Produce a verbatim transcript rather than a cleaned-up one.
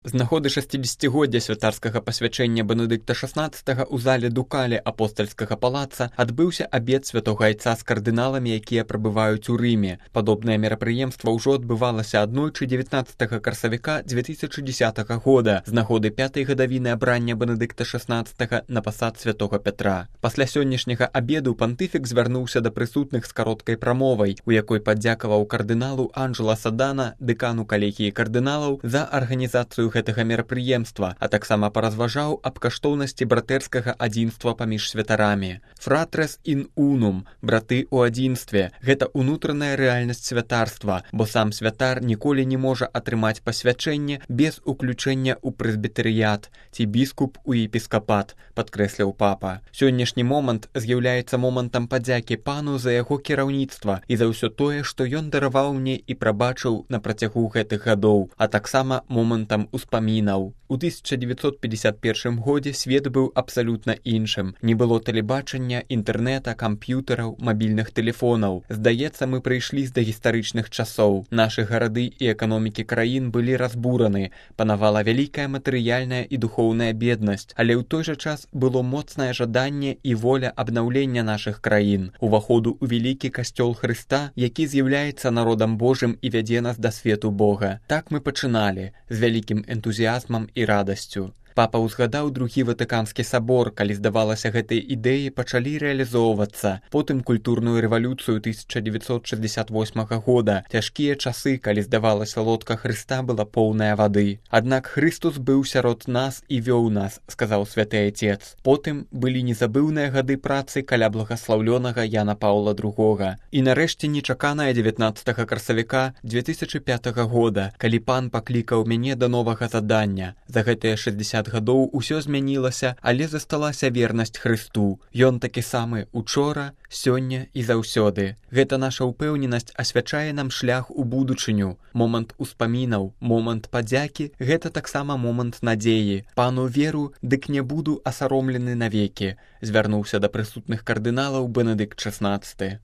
З нагоды шасцідзесяцігоддзя святарскага пасвячэння Бенедыкта шаснаццатага ў зале Дукалі апостальскага палаца адбыўся абед святога айца з кардыналамі, якія прабываюць у Рыме. Падобнае мерапрыемства ўжо адбывалася аднойчы дзевятнаццатага красавіка дзве тысячы дзесятага года з нагоды пятай гадавіны абрання Бенедыкта шаснаццатага на пасад святога Пятра. Пасля сённяшняга абеду пантыфік звярнуўся да прысутных з кароткай прамовай, у якой падзякаваў кардыналу Анджела Садана, дэкану калегіі кардыналаў, за арганізацыю гэтага мерапрыемства, а таксама паразважаў аб каштоўнасці братэрскага адзінства паміж святарамі. Фратрес ін унум, браты ў адзінстве, гэта ўнутраная рэальнасць святарства, бо сам святар ніколі не можа атрымаць пасвячэнне без уключэння ў прэзбітэрыят ці біскуп у епіскапат, падкрэсліў папа. Сённяшні момант з'яўляецца момантам падзякі пану за яго кіраўніцтва і за ўсё тое, што ён дараваў мне і прабачыў на працягу гэтых гадоў, а таксама момантам успамінаў. У тысяча дзевяцьсот пятьдесят першым годзе свет быў абсалютна іншым. Не было тэлебачання, інтэрнэта, камп'ютараў, мабільных тэлефонаў. Здаецца, мы прыйшлі з дагістарычных часоў. Нашы гарады і эканомікі краін былі разбураны. Панавала вялікая матэрыяльная і духоўная беднасць, але ў той жа час было моцнае жаданне і воля абнаўлення нашых краін, уваходу ў вялікі касцёл Хрыста, які з'яўляецца народам Божым і вядзе нас да свету Бога. Так мы пачыналі, з вялікім энтузіязмам і радасцю. Папа ўзгадаў другі Ватыканскі сабор, калі, здавалася, гэтыя ідэі пачалі рэалізоўвацца. Потым культурную рэвалюцыю тысяча дзевяцьсот шэсцьдзесят восьмага года, цяжкія часы, калі, здавалася, лодка Хрыста была поўная вады. Аднак Хрыстус быў сярод нас і вёў нас, сказаў святы айцец. Потым былі незабыўныя гады працы каля благаслаўлёнага Яна Паўла другога. І нарэшце нечаканае дзевятнаццатага красавіка дзве тысячы пятага года, калі пан паклікаў мяне да новага задання. За гэтыя шэсцьдзесят гадоў усё змянілася, але засталася вернасць Хрысту. Ён такі самы учора, сёння і заўсёды. Гэта наша ўпэўненасць асвячае нам шлях у будучыню. Момант успамінаў, момант падзякі — гэта таксама момант надзеі. Пану веру, дык не буду асаромлены навекі, звярнуўся да прысутных кардыналаў Бенедыкт шаснаццаты.